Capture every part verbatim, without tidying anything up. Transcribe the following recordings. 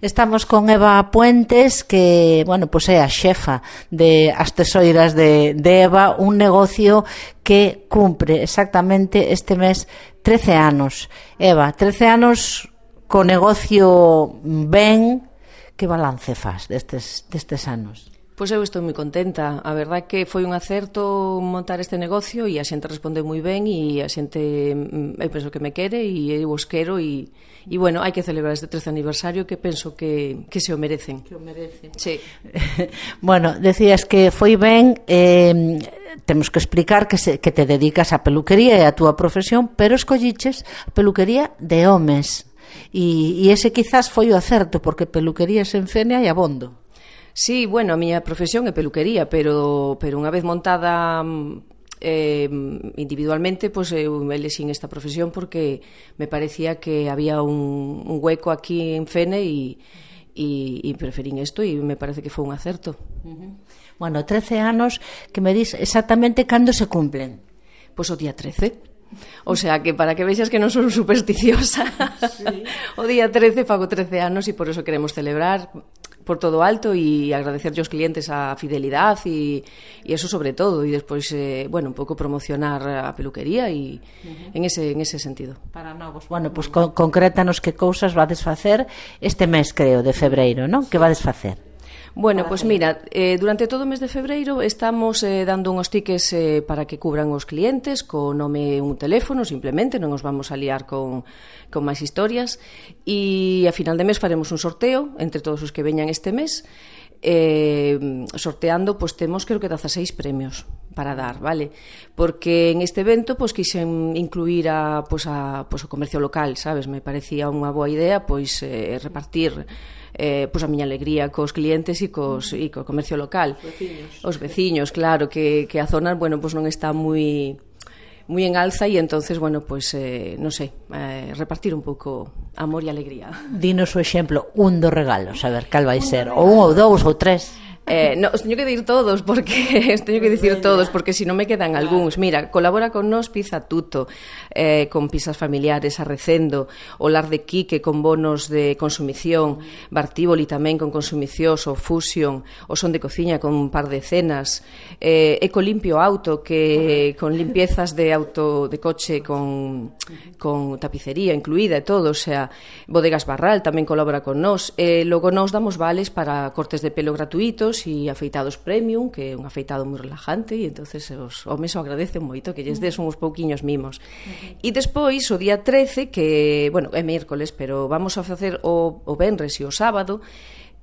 Estamos con Eva Puentes, que, bueno, pois é a xefa de As Tesoiras de, de Eva, un negocio que cumpre exactamente este mes trece anos. Eva, trece anos co negocio ben, que balance faz destes, destes anos? Pois eu estou moi contenta. A verdade é que foi un acerto montar este negocio e a xente respondeu moi ben e a xente, eu penso que me quere e eu os quero e, e bueno, hai que celebrar este trece aniversario que penso que, que se o merecen. Que o merecen. Sí. Bueno, decías que foi ben, eh, temos que explicar que, se, que te dedicas á peluquería e a túa profesión, pero escolliches a peluquería de homes e, e ese quizás foi o acerto, porque peluquerías en Fene hai abondo. Sí, bueno, a miña profesión é peluquería, pero, pero unha vez montada eh, individualmente, pois pues, eu elexín esta profesión porque me parecía que había un, un hueco aquí en Fene e, e, e preferín isto e me parece que foi un acerto. Uh-huh. Bueno, trece anos que me dis exactamente cando se cumplen. Pois pues o día trece. O sea, que para que vexas que non son supersticiosa, sí. O día trece fago trece anos e por eso queremos celebrar por todo alto e agradecerlle aos clientes a fidelidade e, e eso sobre todo e despois, eh, bueno, un pouco promocionar a peluquería e uh-huh. en ese en ese sentido. Para novos. Bueno, pois pues, con, concrétanos que cousas vades facer este mes, creo, de febreiro, non? Que vades facer? Bueno, pois pues mira, eh, durante todo o mes de febreiro estamos eh, dando unhos tickets eh, para que cubran os clientes co nome e un teléfono, simplemente, non os vamos a liar con, con máis historias, e a final de mes faremos un sorteo entre todos os que veñan este mes, eh, sorteando, pois temos creo que dezaseis premios para dar, vale? Porque en este evento pois quixen incluir a, pois, a, pois, o comercio local, sabes? Me parecía unha boa idea pois eh, repartir eh, pois a miña alegría cos clientes e cos e co comercio local. Os veciños. Os veciños, claro, que, que a zona, bueno, pois non está moi moi en alza e entonces, bueno, pois, eh, non sei, eh, repartir un pouco amor e alegría. Dinos o exemplo, un dos regalos, a ver, cal vai ser? Ou un, ou dous, ou tres... Eh, no, os teño que dir todos porque os teño que dicir todos porque si non me quedan algúns. Mira, colabora con nos Pizza Tuto, eh, con pizzas familiares Arrecendo, o Lar de Quique con bonos de consumición, Bartívoli tamén con consumición, o Fusion, o Son de Cociña con un par de cenas, eh, Ecolimpio Auto que con limpiezas de auto de coche con, con tapicería incluída e todo, o sea, Bodegas Barral tamén colabora con nos, e eh, logo nos damos vales para cortes de pelo gratuitos e afeitados premium, que é un afeitado moi relajante e entonces os homes o agradecen moito que lles des uns pouquiños mimos. Uh-huh. E despois o día trece, que, bueno, é mércoles, pero vamos a facer o, o venres e o sábado,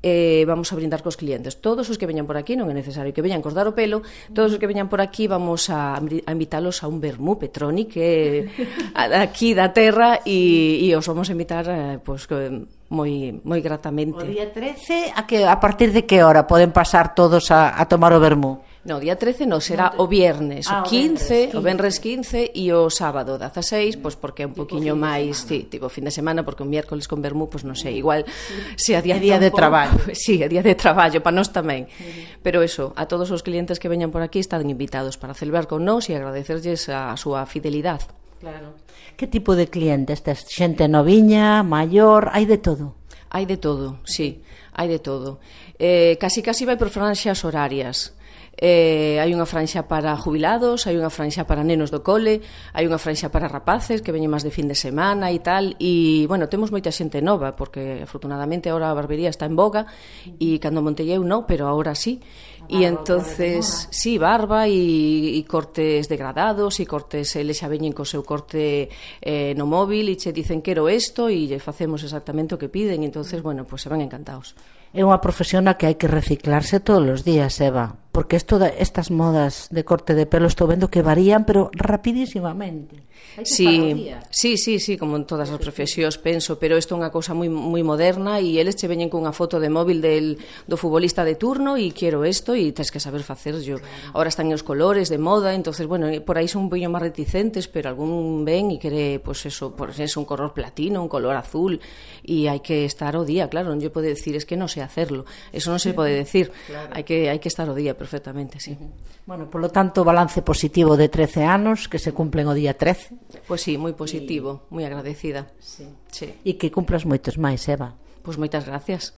eh, vamos a brindar cos clientes. Todos os que veñan por aquí, non é necesario que veñan cos dar o pelo, todos os que veñan por aquí vamos a, a invitarlos a un vermú Petroni, que é aquí da terra, e, e os vamos a invitar eh, pois, que moi moi gratamente. O día trece, a que a partir de que hora poden pasar todos a, a tomar o vermú? No, o día trece non, será o viernes, ah, o quince, o venres quince e o sábado dezaseis, pois porque é un poquinho máis, sí, tipo fin de semana, porque o miércoles con vermú, pois non sei, igual se a día, día de traballo. Sí, a día de traballo para nós tamén. Pero eso, a todos os clientes que veñan por aquí están invitados para celebrar con nós e agradecerlles a súa fidelidade. Claro. Que tipo de clientes? Tes xente noviña, maior, hai de todo? Hai de todo, sí, hai de todo. Eh, casi casi vai por franxas horarias. Eh, hai unha franxa para jubilados, hai unha franxa para nenos do cole, hai unha franxa para rapaces que veñen máis de fin de semana e tal, e, bueno, temos moita xente nova, porque, afortunadamente, agora a barbería está en boga, e cando montei eu non, pero agora sí. E entonces, sí, barba e, e cortes degradados e cortes, eles xa veñen co seu corte eh, no móvil e che dicen quero isto e lle facemos exactamente o que piden e entonces, bueno, pues se van encantados. É unha profesión na que hai que reciclarse todos os días, Eva, porque esto de, estas modas de corte de pelo estou vendo que varían, pero rapidísimamente. Sí, sí, sí, sí, como en todas as profesións penso, pero isto é unha cousa moi moi moderna e eles che veñen cunha foto de móvil del, do futbolista de turno e quero isto e tens que saber facer yo. Ahora están os colores de moda, entonces, bueno, por aí son un poño máis reticentes, pero algún ven e quere, pois pues eso, por eso un color platino, un color azul e hai que estar o día, claro, non lle pode decir, es que non sei hacerlo, eso non se pode decir, claro. hai que hai que estar o día perfectamente, sí. Uh-huh. Bueno, polo tanto, balance positivo de trece anos que se cumplen o día trece. Pois pues sí, moi positivo, moi agradecida. Sí. Sí. E que cumplas moitos máis, Eva. Pois moitas gracias.